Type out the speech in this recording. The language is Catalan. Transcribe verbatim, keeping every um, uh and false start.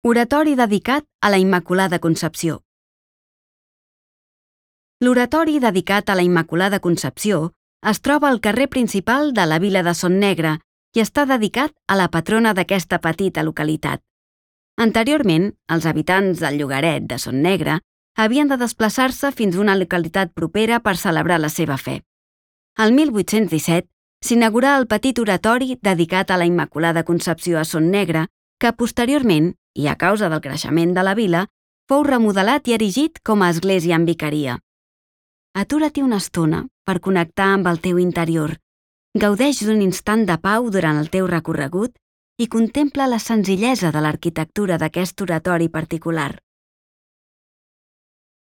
Oratori dedicat a la Immaculada Concepció. L'oratori dedicat a la Immaculada Concepció es troba al carrer principal de la vila de Son Negre i està dedicat a la patrona d'aquesta petita localitat. Anteriorment, els habitants del llogaret de Son Negre havien de desplaçar-se fins a una localitat propera per celebrar la seva fe. El mil vuit-cents disset s'inaugurà el petit oratori dedicat a la Immaculada Concepció a Son Negre, que posteriorment, i a causa del creixement de la vila, fou remodelat i erigit com a església amb vicaria. Atura't-hi una estona per connectar amb el teu interior, gaudeix d'un instant de pau durant el teu recorregut i contempla la senzillesa de l'arquitectura d'aquest oratori particular.